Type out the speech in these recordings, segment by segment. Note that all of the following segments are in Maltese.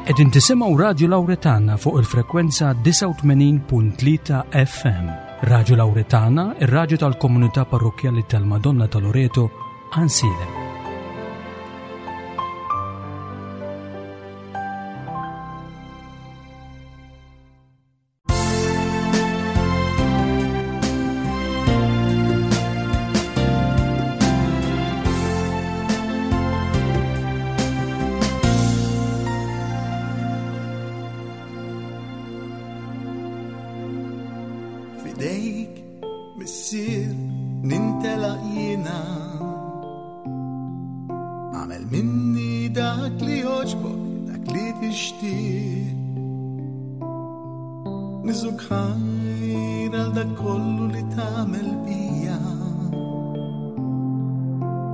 Qegħdin tisimgħu Radju Lawretana fuq il-frekwenza 89.3 FM. Radju Lawretana, ir-radju tal-komunità parrokkjali tal-Madonna ta' Loreto, Ansilem. Fidejk, missier, nintelaq jiena. Għamel minni dak li joġbok, dak li tixtieq. Niżuk ħajr għal dak kollu li tagħmel bija.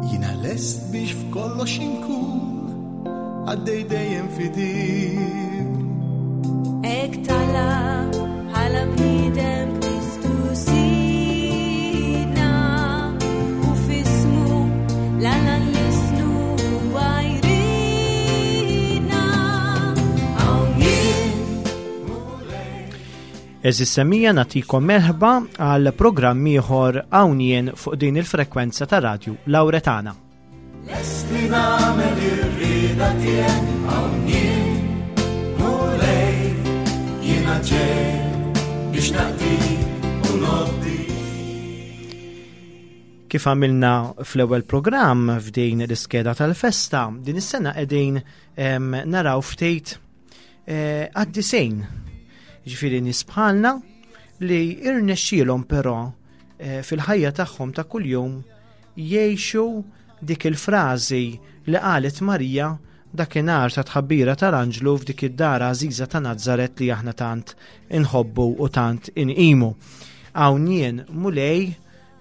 Jiena lest biex f'kollox inkun għaddej dejjem fidik. Ek tala bħala bniedem Kristu sidna u fismu l-alla nlisnu għajridna. Hawn jien Eżis semija natikom merħba għal programm ieħor hawn jien fuq din il-frekwenza ta' radju Lawretana. Lest li nagħmel ir-rieda tiegħek hawn jien, Mulej, jiena ġej biex naqdik u nobdi. Kif għamilna fl-ewwel programm f'din l-iskeda tal-festa, din is-sena qegħdin naraw ftit eh, għaddisejn. Ġifieri nies bħalna li irnexxielhom però eh, fil-ħajja tagħhom ta' kuljum jgħixu dik il-frażi li qalet Marija dakinhar ta' tħabbira tal-anġlu f'dik id-dar għażiża ta' Nazaret li aħna tant inħobbu u tant inqimu. Hawn jien Mulej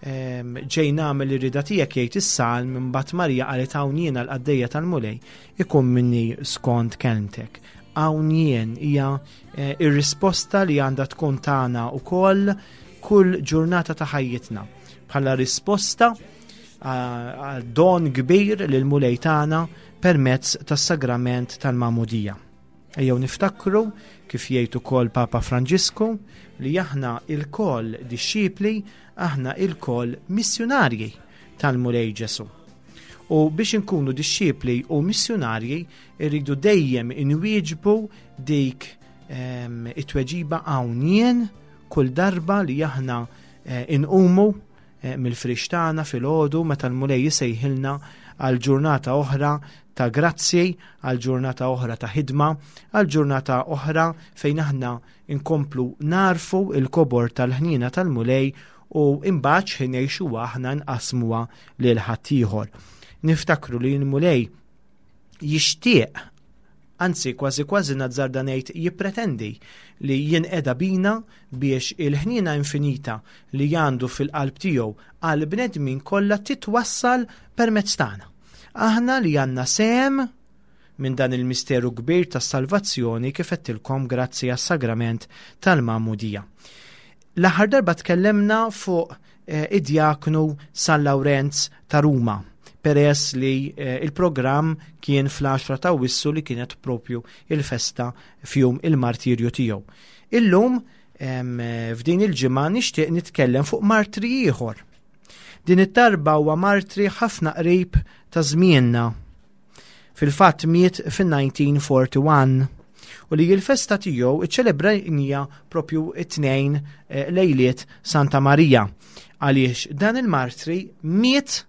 ġej nagħmel ir-rida tiegħek jgħid is-salm imbagħad Marija qalet hawn jien għall-qaddejja tal-Mulej ikun minni skont kelmtek. Hawn jien hija eh, ir-risposta li għandha tkun tagħna wkoll kull ġurnata ta' ħajjitna bħala risposta għal don kbir lil mulej tagħna permezz tas-sagrament tal-magħmudija. Ejjew niftakru kif jgħid ukoll Papa Franġisku li aħna ilkoll dixxipli, aħna ilkoll missjunarji tal-Mulej Ġesu. U biex inkunu dixxipli u missjunarji irridu dejjem inwieġbu dik ehm, it-tweġiba hawn jien kull darba li aħna eh, inqumu eh, mill-frix tagħna filgħodu meta l-Mulej jisejħilna għal ġurnata oħra ta' grazzi, għal ġurnata oħra ta' ħidma, għal ġurnata oħra fejn aħna nkomplu narfu il-kobor tal-ħnina tal-Mulej u imbagħad x'ħin ngħixuha aħna nqasmuha lil ħaddieħor. Niftakru li l-Mulej jixtieq anzi kważi kważi nazzarda ngħid jippretendi li jinqeda bina biex il-ħniena infinita li għandu fil-qalb tiegħu għal bnedmin kollha titwassal permezz tagħna. Aħna li għandna sehem minn dan il-misteru kbir tas-salvazzjoni kif għedtilkom grazzi għas-sagrament tal-magħmudija. L-aħħar darba tkellemna fuq eh, id-djaknu San Lawrenz ta' Ruma, peress li eh, il-programm kien fl-10 ta' Wissu li kienet propju il-festa fjum il-martirju tiegħu. Illum eh, f'din il-ġimgħa nixtieq nitkellem fuq martri ieħor. Din it-tarba huwa martri ħafna qrib ta' żmienna Fil-fatt miet fin-1941 u li l-festa tiegħu iċċelebrajnija propju it-tnejn eh, lejliet Santa Marija għaliex dan il-martri miet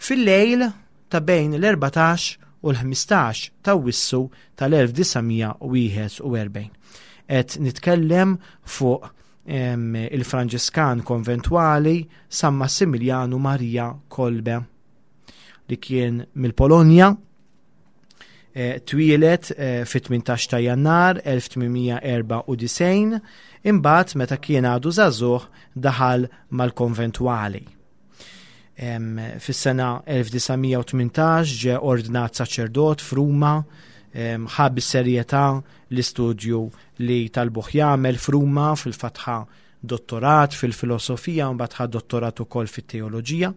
fil-lejl ta' bejn l-14 u l-15 ta' wissu tal-1941. Et nitkellem fuq il-Franġiskan konventwali San Massimiliano Maria Kolbe. li kien mill-Polonja, eh, twieled eh, fit-18 ta' Jannar 1894, imbagħad meta kien għadu żagħżugħ daħal mal-konventwali. Fis-sena 1918 ġe ordnat saċerdot f'Ruma, ħa bis-serjetà l-istudju li talbuh jagħmel f'Ruma fil-fatħa dottorat fil-filosofija u mbagħad ħa dottorat ukoll fit-teoloġija.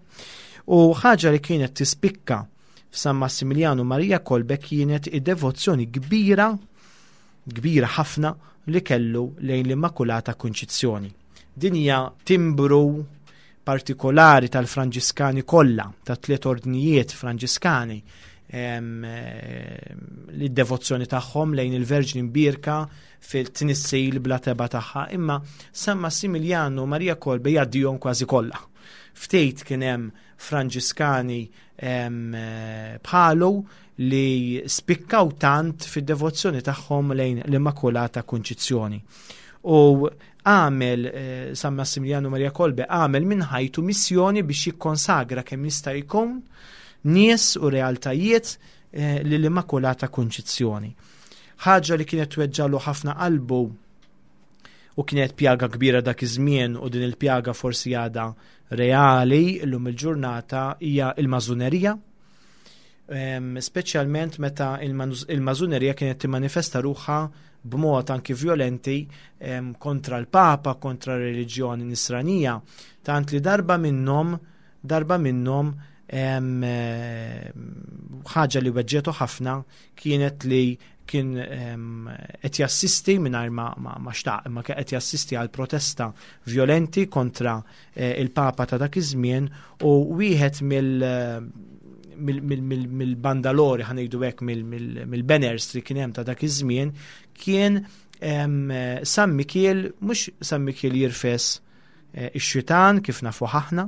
U ħaġa li kienet tispikka f'San Massimiljanu Maria Kolbe kienet id-devozzjoni kbira, kbira ħafna li kellu lejn l-Immakulata Kunċizzjoni. Din hija timbru partikolari tal-Franġiskani kollha, ta' tliet ordnijiet Franġiskani, li d-devozzjoni tagħhom lejn il-Verġni Mbierka fil-tnissil bla teba tagħha, imma San Massimiljanu Maria Kolbe jgħaddihom kważi kollha. Ftit kien hemm Franġiskani bħalu li spikkaw tant fid-devozzjoni tagħhom lejn l-Immakulata Kunċizzjoni. U għamel eh, San Massimiliano Maria Kolbe għamel minn ħajtu missjoni biex jikkonsagra kemm jista' jkun nies u realtajiet eh, lill-Immakulata Kunċizzjoni. Ħaġa li kienet tweġġalu ħafna qalbu u kienet pjaga kbira dak iż-żmien u din il-pjaga forsi għadha reali llum il-ġurnata hija il-mażunerija. Speċjalment meta il-mażunerija kienet timmanifesta ruħha b'mod anki violenti kontra l-Papa, kontra r-reliġjoni nisranija, tant li darba minnhom darba minnhom ħaġa li weġġetu ħafna kienet li kien qed jassisti mingħajr ma, ma, ma xtaq, imma kien qed jassisti għal protesta violenti kontra eh, il-Papa ta' dak iż-żmien u wieħed mill mill-bandalori ħanejdu hekk mill-banners li kien hemm ta' dak iż-żmien kien San Mikiel mhux San Mikiel jirfes eh, ix-xitan kif nafu aħna,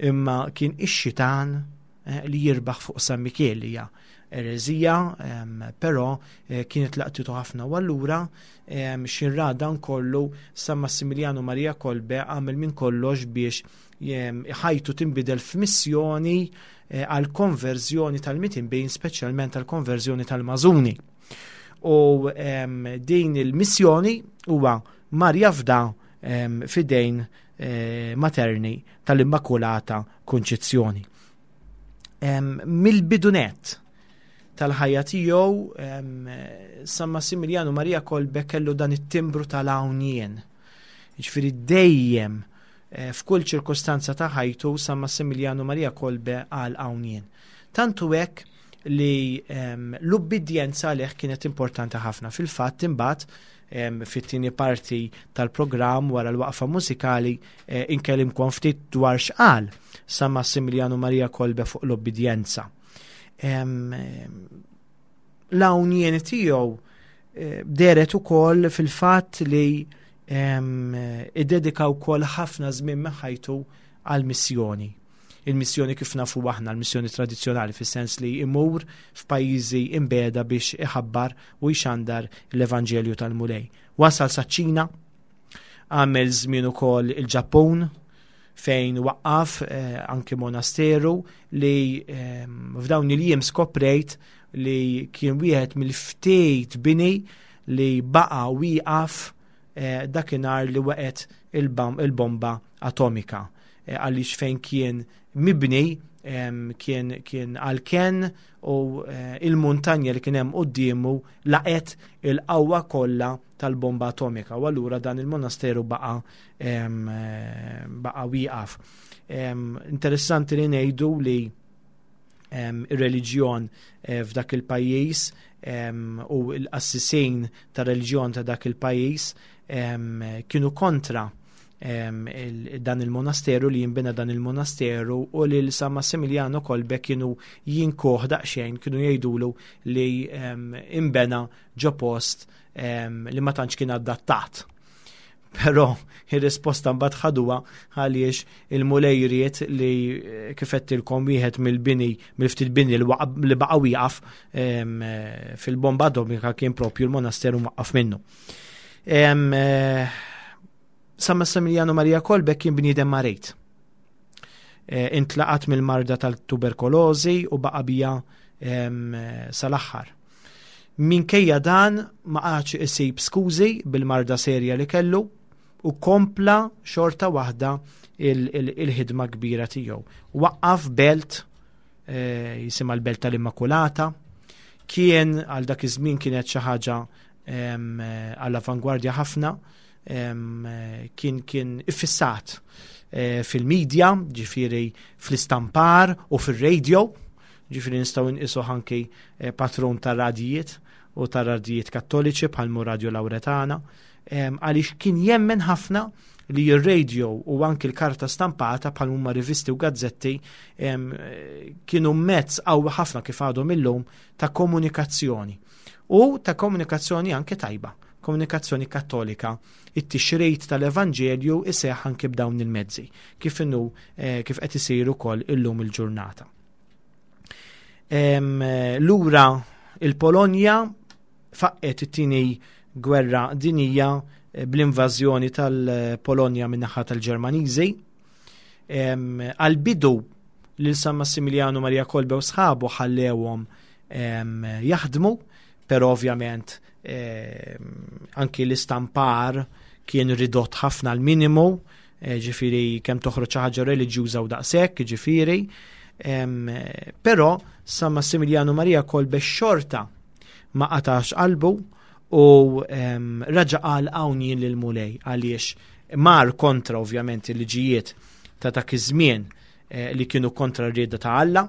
imma kien ix-xitan eh, li jirbaħ fuq San Mikiel li hija ereżija, però eh, kienet laqtitu ħafna u allura xinra dan kollu San Massimiliano Maria Kolbe għamel minn kollox biex ħajtu tinbidel f'missjoni eh, għal konverżjoni tal-mitinbin, speċjalment għal konverżjoni tal-mażuni. U din il-missjoni huwa mar jafda fidejn eh, materni tal-Immakulata Kunċizzjoni. Mill-bidunet tal-ħajja tiegħu San Massimiliano Maria Kolbe kellu dan it-timbru tal-hawn Jiġifieri dejjem eh, f'kull ċirkostanza ta' ħajtu San Massimiliano Maria Kolbe għal hawn jien. Tantu hekk li l-ubbidjenza għalih kienet importanti ħafna. Fil-fatt imbagħad fit-tieni parti tal-programm wara l-waqfa mużikali eh, inkellimkom ftit dwar x'qal San Massimiliano Maria Kolbe fuq l-obbidjenza. L-hawn tiegħu eh, deret ukoll fil-fatt li iddedika wkoll ħafna żmien minn ħajtu għall-missjoni. Il-missjoni kif nafu aħna, l-missjoni tradizzjonali fis-sens li imur f'pajjiżi imbeda biex iħabbar u jxandar l-Evanġelju tal-Mulej. Wasal saċ-Ċina, għamel żmien ukoll il-Ġappun fejn waqqaf eh, anki monasteru li eh, f'dawn il-jiem skoprejt li kien wieħed mill-ftit bini li baqa' wieqaf eh, dakinhar li waqgħet il-bomba atomika eh, għaliex fejn kien mibni kien kien għal-ken u eh, il-muntanja li kien hemm quddiemu laqet il-qawwa kollha tal-bomba atomika u allura dan il-monasteru baqa baqa wieqaf. Interessanti li ngħidu li ir-reliġjon eh, f'dak il-pajjiż u l-qassisin ta' reliġjon ta' dak il-pajjiż kienu kontra dan il-monasteru li jimbina dan il-monasteru u li l-San Massimiliano Kolbe kienu jinkoħ daqsxejn kienu jgħidulu li imbena ġo post li ma tantx kien adattat. Però ir-risposta mbagħad ħaduha għaliex il-Mulej ried li eh, kif qedtilkom wieħed mill-bini mill-ftit bini li baqa' wieqaf eh, fil-bomba atomika kien propju l-monasteru waqqaf minnu. Eh, San Massimiliano Maria Kolbe kien bniedem marit. Intlaqat mill-marda tal-tuberkolożi u baqa' bija sal-aħħar. Minkejja dan ma qagħadx isib skużi bil-marda serja li kellu u kompla xorta waħda il-ħidma kbira tiegħu. Waqqaf belt eh, jisimha l-Belt tal-Immakulata, kien għal dak iż-żmien kienet xi ħaġa għall-avangwardja ħafna, kien kien iffissat eh, fil-medja, ġifieri fl-istampar u fir-radio. Ġifieri nistgħu nqisu anki eh, patrun tar-radijiet u tar-radijiet kattoliċi bħal Radio Lauretana, għaliex kien jemmen ħafna li r-radio u anki l-karta stampata bħal huma rivisti u gazzetti kienu mezz qawwi ħafna kif għadhom illum ta' komunikazzjoni. U ta' komunikazzjoni anke tajba, komunikazzjoni kattolika. It-tixrid tal-Evanġelju iseħħ anke b'dawn il-mezzi, kif inhu eh, kif qed isir ukoll illum il-ġurnata. Lura il-Polonja faqqet it-tieni gwerra dinija eh, bl-invażjoni tal-Polonja min-naħa tal-Ġermaniżi. Għal-bidu lil San Massimiliano Maria Kolbe u sħabu ħallewhom jaħdmu, però ovvjament anki l-istampar kien ridott ħafna l-minimu, eh, ġifiri kemm toħroġ xi ħaġa reliġjuża u daqshekk, ġifiri. Però San Massimiliano Maria Kolbe xorta ma qatax qalbu u raġa qal hawn jien lil Mulej għaliex mar kontra ovvjament il-liġijiet ta' dak iż-żmien eh, li kienu kontra r-rieda ta' Alla.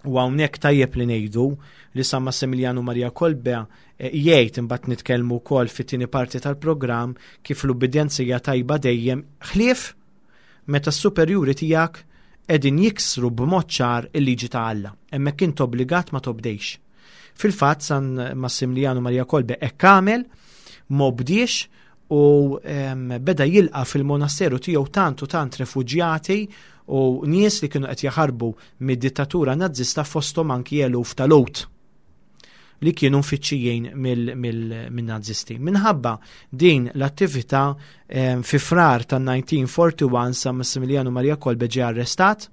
U hawnhekk tajjeb li ngħidu li San Massimiliano Maria Kolbe eh, jgħid imbagħad nitkellmu wkoll fit-tieni parti tal-programm kif l-ubbidjenza hija tajba dejjem ħlief meta s-superjuri tiegħek qegħdin jiksru b'mod ċar il-liġi ta' Alla. Hemmhekk int obbligat ma tobdejx. Fil-fatt San Massimiliano Maria Kolbe hekk għamel, m'obdiex u beda jilqa' fil-monasteru tiegħu tant u tant refuġjati u nies li kienu qed jaħarbu mid-dittatura Nazzista fosthom anki eluf ta' Lhud li kienu mfittxijin mill-Nazisti. Minħabba din l-attività fi frar tan-1941 San Massimiliano Maria Kolbe ġie arrestat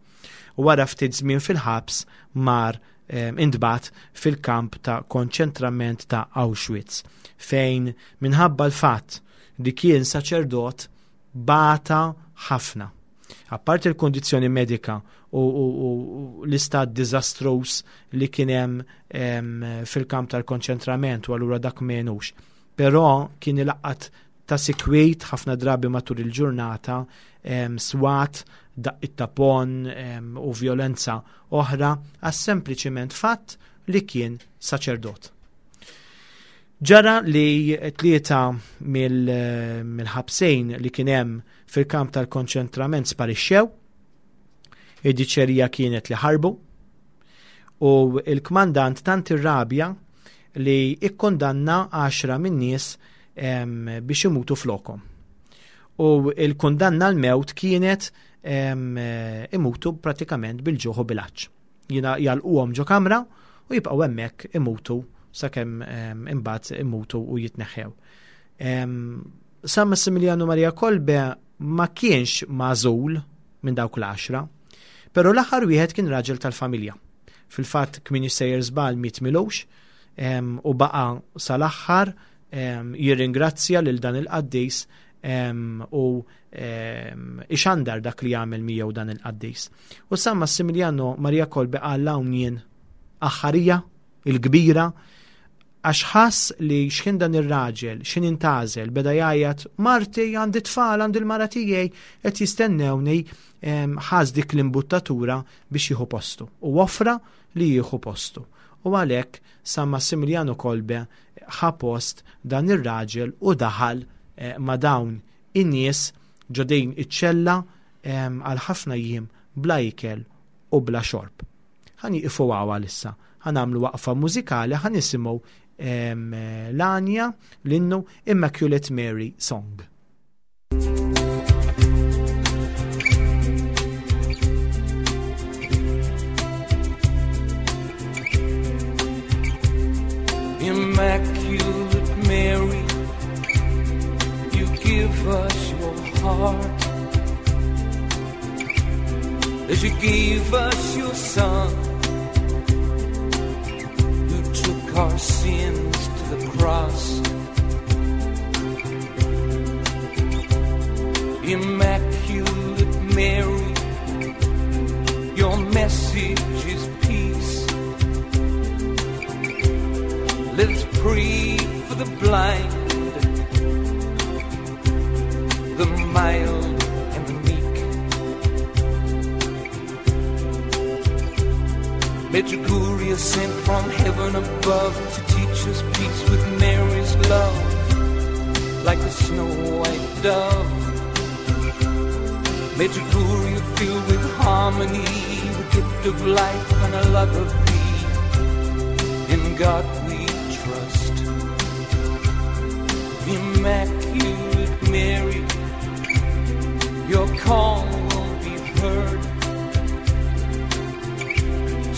u wara ftit żmien fil-ħabs mar intbagħat fil-kamp ta' konċentrament ta' Auschwitz, fejn minħabba l-fatt li kien saċerdot bata ħafna. Apparti l-kondizzjoni medika u, u, u l-istat diżastruż li kien hemm fil-kamp tal-konċentrament u allura dak menux. Però kien ilaqqat ta' sikwit ħafna drabi matul il-ġurnata swat, daqqiet ta' pon u vjolenza oħra għas sempliċiment fatt li kien saċerdot. Ġara li tlieta mill-ħabsejn li kien hemm fil-kamp tal-konċentrament sparixxew, id-diċerija kienet li ħarbu, u il-kmandant tant irrabja li ikkondanna 10 min-nies biex imutu flokhom. U il-kundanna l-mewt kienet imutu pratikament bil-ġuħ u bil-għatx. Jina jalquhom ġo kamra u jibqgħu hemmhekk imutu sakemm imbagħad imutu u jitneħħew. San Massimiliano Maria Kolbe ma kienx magħżul minn dawk l-għaxra, però l-aħħar wieħed kien raġel tal-familja. Fil-fatt kmin sejjer żball miet milux u baqa' sal-aħħar jirringrazzja lil dan il-qaddis u ixandar dak li jagħmel miegħu dan il-qaddis. U San Massimiliano Maria Kolbe qal hawn jien aħħarija il-kbira għax ħass li x'ħin dan ir-raġel, x'ħin intażel, beda jgħajjat marti għandi tfal għandi l-mara tiegħi qed jistennewni ħass dik l-imbuttatura biex jieħu postu u offra li jieħu postu. U għalhekk San Massimiliano Kolbe ħa post dan ir-raġel u daħal eh, ma' dawn in-nies ġo din iċ-ċella għal ħafna jiem bla ikel u bla xorb. Ħa nieqfu hawn għalissa. Ħa nagħmlu waqfa mużikali ħa nisimgħu l-għanja l-innu Immaculate Mary Song. Immaculate Mary, you give us your heart as you gave us your Son, who took our sins to the cross. Immaculate Mary, your message is peace. Let's pray for the blind, the mild and the meek. Medjugorje sent from heaven above to teach us peace with Mary's love, like a snow white dove. Medjugorje filled with harmony, the gift of life and a love of thee. In God we trust. Immaculate Mary, your call will be heard.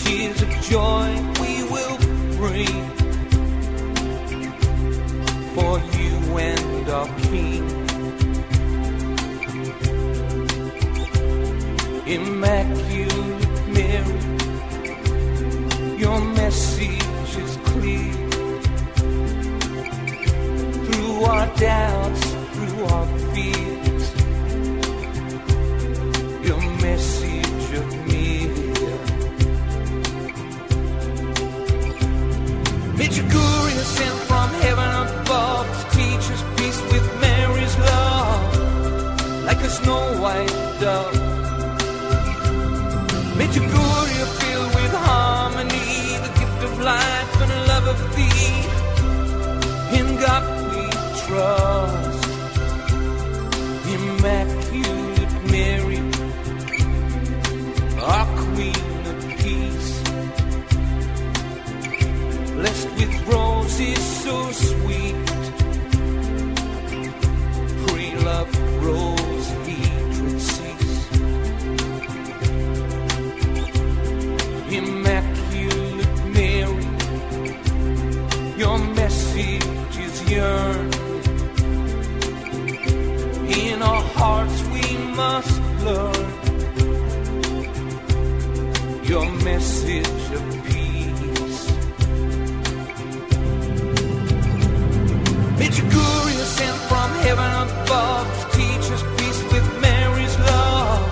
Tears of joy we will bring for you and our King. Immaculate Mary, your message is clear. Through our doubts, through our fears, your message of me. Medjugorje sent from heaven above to teach us peace with Mary's love, like a snow white dove. Medjugorje filled with harmony, the gift of life and the love of thee. In God we trust. Immaculate Mary, our Queen of Peace, blessed with roses so sweet, pray love grows, hatred cease. Immaculate Mary, your message is yearned. In our hearts we must learn your message of peace. Medjugorje sent from heaven above to teach us peace with Mary's love,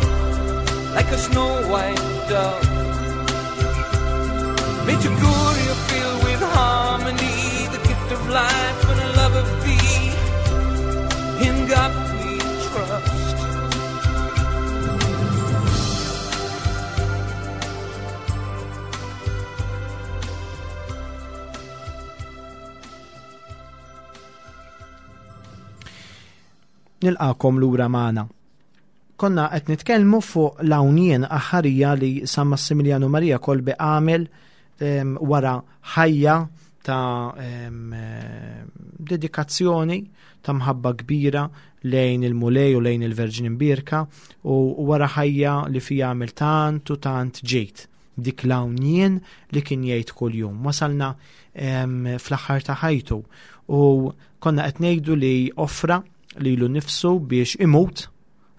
like a snow white dove. Medjugorje filled with harmony, the gift of life and the love of thee. In God we trust. Nilqakom lura magħna. Konna qed nitkellmu fuq l-hawnien aħħarija li San Massimiliano Maria Kolbe għamel wara ħajja ta' dedikazzjoni ta' mħabba kbira lejn il-Mulej u lejn il-Verġni Mbierka u wara ħajja li fija għamel tant u tant ġejt dik l-hawnien li kien jgħid kuljum. Wasalna fl-aħħar ta' ħajtu u konna qed ngħidu li offra lilu nnifsu biex imut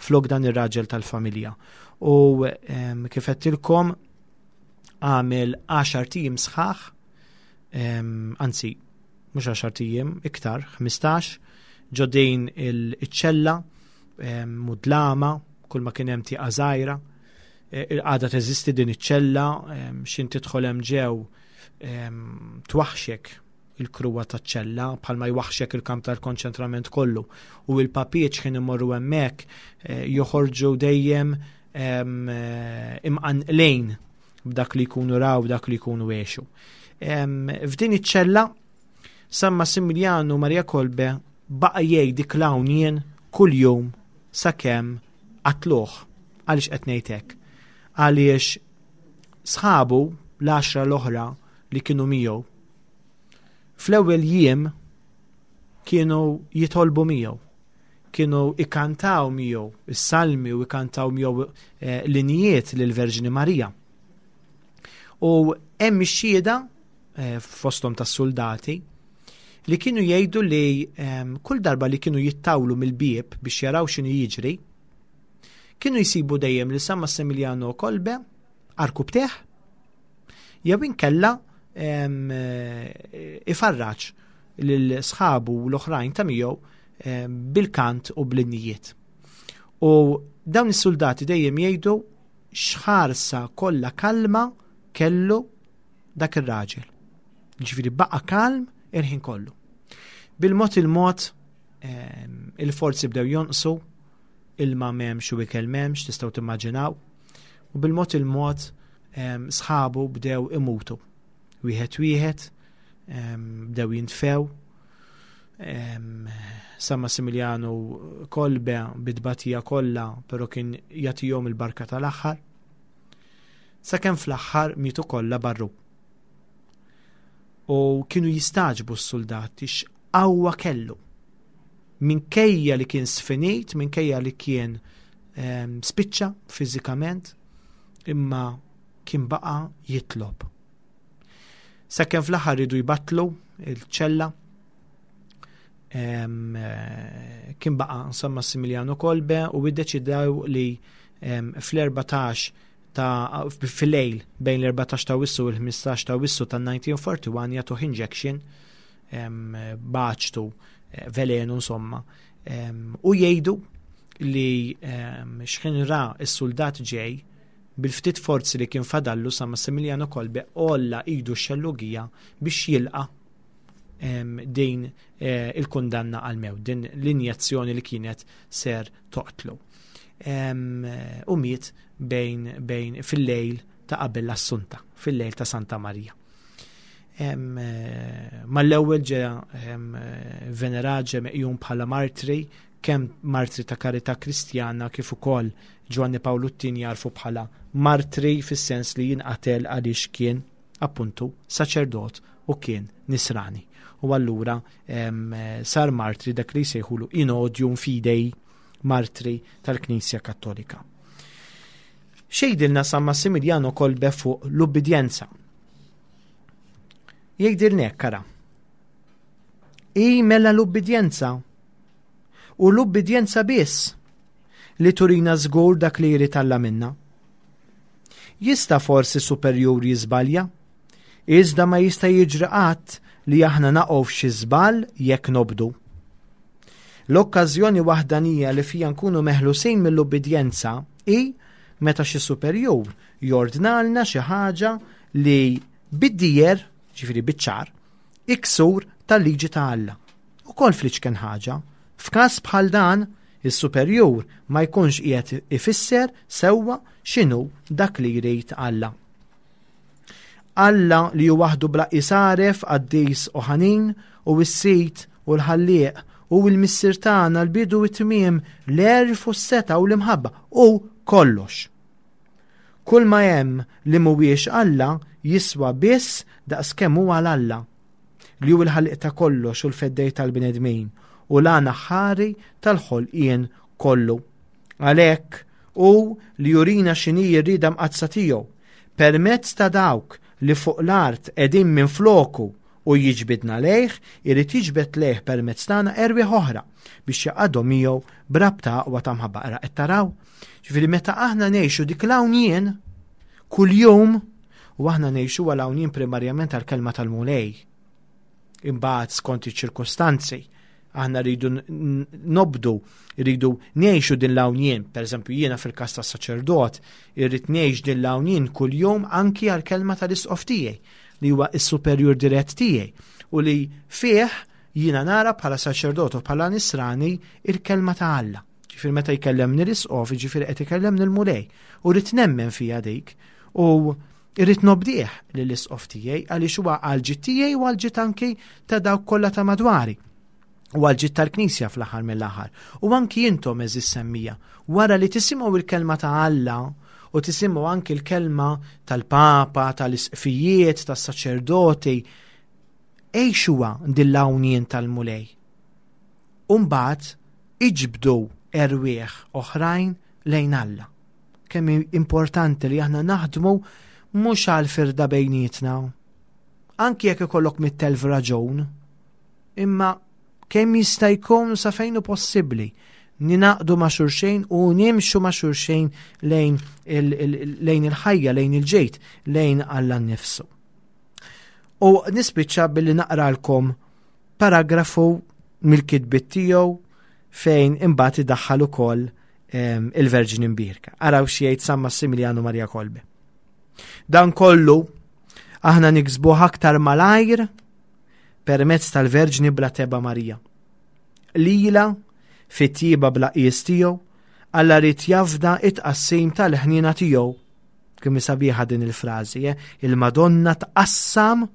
flok dan ir-raġel tal-familja. U kif għedtilkom għamel 10 tijiem sħaħ, anzi, mhux 10 tijiem, iktar, 15, ġodejn il-ċella, mudlama, kull ma kien hemm tieqa żgħira. Il-qagħda teżisti din iċ-ċella, x'in tidħol hemm ġew, twaħxek il-kruwa taċ-ċella bħalma jwaħxek il-kamp tal-konċentrament kollu. U il-papiet x'ħin imorru hemmhekk joħorġu dejjem imqanqlejn b'dak li jkunu raw, b'dak li jkunu għexu. F'din iċ-ċella San Massimiliano Maria Kolbe baqa' jgħid dik l-hawnien kuljum sakemm qatluh. Għaliex qed ngħid hekk? Għaliex sħabu l-10 l-oħra li kienu miegħu fl-ewwel jiem kienu jitolbu miegħu, kienu ikantaw miegħu is-salmi u ikantaw miegħu l-injiet lill-Verġni Marija. U hemm ix-xhieda fosthom tas-soldati li kienu jgħidu li kull darba li kienu jittawlu mill-bieb biex jaraw x'inhu jiġri, kienu jsibu dejjem li San Massimiliano Kolbe arkub teħ, jew inkella ifarraġ lil sħabu l-oħrajn ta' miegħu bil-kant u bl-innijiet. U dawn is-soldati dejjem jgħidu x'ħarsa kollha kalma kellu dak ir-raġel. Ġifieri baqa' kalm il-ħin kollu. Bil-mod il-mod il-forzi bdew jonqsu, ilma m'hemmx u ikel m'hemmx, tistgħu timmaġinaw. U bil-mod il-mod Sħabu bdew imutu. Wieħed wieħed bdew jintfew. San Massimiliano Kolbe bit-tbatija kollha, però kien jagħtihom il-barka tal-aħħar. Sakemm fl-aħħar mietu kollha barru. U kienu jistaġbu s-soldati x'qawwa kellu. Minkejja li kien sfinit, minkejja li kien spiċċa fiżikament, imma kien baqa' jitlob. Sakemm fl-aħħar ridu jbattlu il-ċella, kien baqa' San Massimiliano Kolbe u iddeċidew li fl-14 ta' fil-lejl bejn l-14 ta' Awwissu u l-15 ta' Awwissu ta' 1941 jagħtuh injection baċtu eh, velenu insomma u jgħidu li xħin ra s-soldat ġej bil-ftit forzi li kien fadallu San Massimiliano Kolbe għolla idu x-xellugija biex jilqa din eh, il-kundanna għal-mew, din l-injezzjoni li kienet ser toqtlu. U miet bejn, bejn fil-lejl ta' qabel l-Assunta, fil-lejl ta' Santa Marija. Eh, mal-ewwel ġe venerat ġe meqjum bħala martri kemm martri ta' karità Kristjana kif ukoll Ġwanni Pawlu t-Tieni jagħrfu bħala martri fis-sens li jinqatel għaliex kien appuntu saċerdot u kien nisrani. U allura sar martri dak li jsejħulu in odium fidei martri tal-Knisja Kattolika. Xejdilna San Massimiliano Kolbe fuq l-ubbidjenza. Jgħidilna hekk ara. I mela l-ubbidjenza U l-ubbidjenza biss li turina żgur dak li jrid Alla minna. Jista' forsi superjur jiżbalja, iżda ma jista' jiġri qatt li aħna naqgħu f'xi żball jekk nobdu. L-okkażjoni waħdanija li fija nkunu meħlusin mill-ubbidjenza hi meta xi superjur jordnalna xi ħaġa li bid-dieher, ġifieri biċ-ċar, hi ksur tal-liġi ta' Alla. Ukoll fl-iċken ħaġa. F'każ bħal dan, is-superjur ma jkunx qiegħed ifisser sewwa x'inhu dak li jrid Alla. Alla li hu waħdu bla qies għaref, qaddis u ħanin, hu s-Sid u l-Ħallieq, hu l-Missier tagħna, l-bidu u t-tmiem, l-għerf u s-setgħa u l-imħabba, hu kollox. Kull ma hemm li mhuwiex Alla jiswa biss daqskemm hu għal Alla. li hu l-ħallieq ta' kollox u l-feddej tal-bnedmin u l-għan aħħari tal-ħolqien kollu. Għalhekk hu li jurina x'inhi r-rieda mqaddsa tiegħu permezz ta' dawk li fuq l-art qegħdin minfloku u jiġbidna lejh, irid jiġbed lejh permezz tagħna erwieħ oħra biex jaqadhom miegħu b'rabta aqwa ta' mħabba. Ara qed taraw? Ġifieri meta aħna ngħixu dik l-hawn kuljum U aħna ngħixu għal hawn primarjament għall-kelma tal-Mulej. Imbagħad skont iċ-ċirkostanzi aħna rridu nobdu, rridu ngħixu din l-hawn Per eżempju, jiena fil-każ tas-saċerdot, irrid ngħix din l-hawn kuljum anki għall-kelma tal-isqof tiegħi li huwa s-superjur dirett tiegħi u li fih jiena nara bħala saċerdot u bħala nisrani il-kelma ta' Alla. Ġifieri meta jkellemni l-isqof, ġifieri qed ikellemni l-Mulej. U rrid nemmen fija dik. U irrid nobdih lill-isqof tiegħi għaliex huwa għall-ġid tiegħi u għall-ġid anki ta' dawk kollha ta' madwari u għal-ġid tal-Knisja fl-aħħar mill-aħħar. U anki intom eżis semmija, wara li tisimgħu il-kelma ta' Alla u tisimgħu anki l-kelma tal-Papa, tal-isqfijiet, tas-saċerdoti, għixuha din l-hawnien tal-Mulej. U mbagħad iġbdu erwieħ oħrajn lejn Alla. Kemm importanti li aħna naħdmu mhux għal firda bejnietna. Anki jekk ikollok mit-telf raġun, imma kemm jista' jkun sa fejn hu possibbli ninaqdu ma' xulxejn u nimxu ma' xulxejn lejn il-ħajja, lejn il-ġejt, lejn Alla nnifsu. U nispiċċa billi naqralkom paragrafu mill-kitbiet tiegħu fejn imbagħad idaħħal ukoll ehm, il-Verġni Mbierka. Araw xi jgħid San Massimiliano Maria Kolbe. Dan kollu aħna niksbuh aktar malajr permezz tal-Verġni bla teba Marija. Lila fit-tjieba bla qies tiegħu, Alla rid jafda it-tqassim tal-ħniena tiegħu. Kemm sabiħa din il-frażi, eh? Il-Madonna tqassam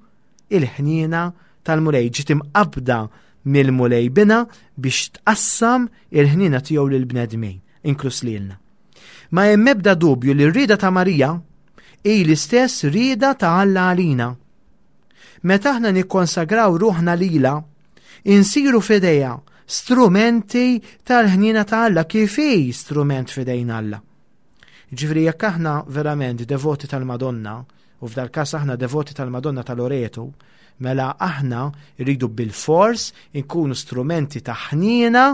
il-ħniena tal-Mulej, ġiet imqabbda mill-Mulej bina biex tqassam il-ħniena tiegħu lill-bnedmin, inkluż lilna. Ma hemm ebda dubju li r-rieda ta' Marija hi l-istess rieda ta' Alla għalina. Meta aħna nikkonsagraw ruħna lilha, insiru f'idejha strumenti tal-ħniena ta' Alla kif hi strument f'idejn Alla. Ġifieri jekk aħna verament devoti tal-Madonna, u f'dal każ aħna devoti tal-Madonna ta' Loreto, mela aħna rridu bil-fors inkunu strumenti ta' ħniena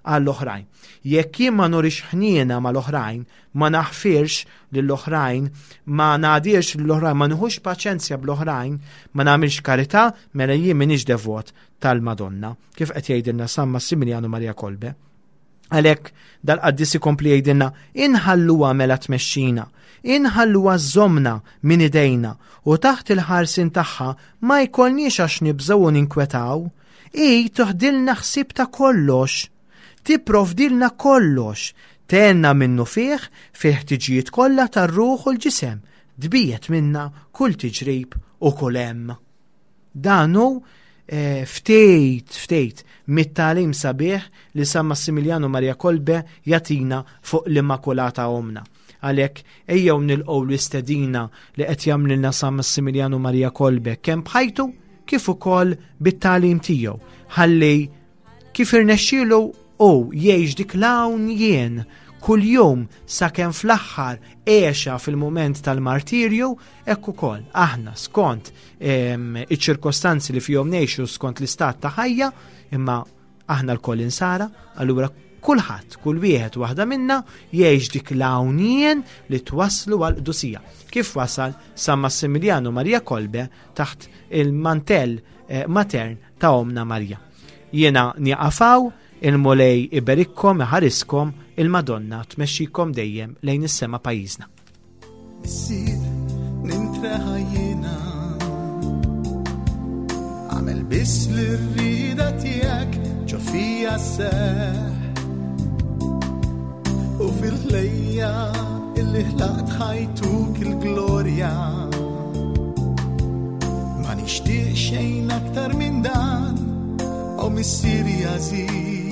għall-oħrajn. Jekk jien ma nurix ħniena mal-oħrajn, ma naħfirx lill-oħrajn, ma ngħadirx lill-oħrajn, ma nieħux paċenzja bl-oħrajn, ma nagħmilx karità, mela jien m'iniex devot tal-Madonna, kif qed jgħidilna San Massimiliano Maria Kolbe. Għalhekk dal-qaddis ikompli jgħidilna inħalluha mela tmexxina, inħalluha żżommna minn idejna u taħt il-ħarsien tagħha ma jkollniex għax nibżgħu u ninkwetaw. Hi toħdilna ħsieb ta' kollox, tipprovdilna kollox, tgħinna minnufih fil-ħtiġijiet kollha tar-ruħ u l-ġisem, tbiegħed minna kull tiġrib u kull hemm. Dan hu eh, ftit ftit mit-tagħlim sabiħ li San Massimiliano Maria Kolbe jagħtina fuq l-Immakulata Omna. Għalhekk ejjew nilqgħu l-istedina li qed jagħmlilna San Massimiliano Maria Kolbe kemm b'ħajtu kif ukoll bit-tagħlim tiegħu ħalli kif irnexxielu u jgħix dik l-hawn jien kuljum sakemm fl-aħħar għexa fil-mument tal-martirju, hekk ukoll aħna skont iċ-ċirkostanzi li fihom ngħixu skont l-istat ta' ħajja, imma aħna lkoll insara, allura kulħadd, kull wieħed waħda minna jgħix dik l-hawn li twasslu għal qdusija. Kif wasal San Massimiliano Maria Kolbe taħt il-mantell eh, matern ta' Omna Marija. Jiena nieqafaw, il-Mulej iberikkom, iħariskom, il-Madonna tmexxikom dejjem lejn is-sema pajjiżna. Missier, nintreħa jiena. Għamel biss li rrida tiegħek ġo fija seħ. U fil-ħlejja illi ħlaqt ħajtuk il-glorja. Ma nixtieq xejn aktar minn dan, o missieri għażiż.